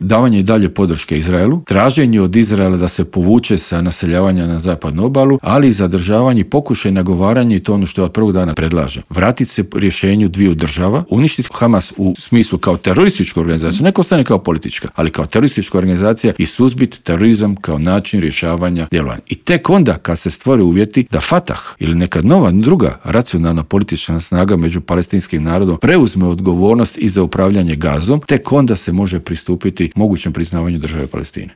davanje i dalje podrške Izraelu, traženje od Izraela da se povuče sa naseljavanja na zapadnu obalu, ali i zadržavanje i pokušaj nagovaranja, i to ono što od prvog dana predlaže. Vratiti se rješenju dviju država, uništiti Hamas u smislu kao terorističku organizaciju, neko ostane kao politička, ali kao teroristička organizacija, i suzbiti terorizam kao način rješavanja djelovanja. I tek onda kad se stvore uvjeti da Fatah ili neka nova, druga racionalna politička snaga među palestinskim narodom preuzme odgovornost i za upravljanje Gazom, tek onda se može pristupiti mogućem priznavanju države Palestine.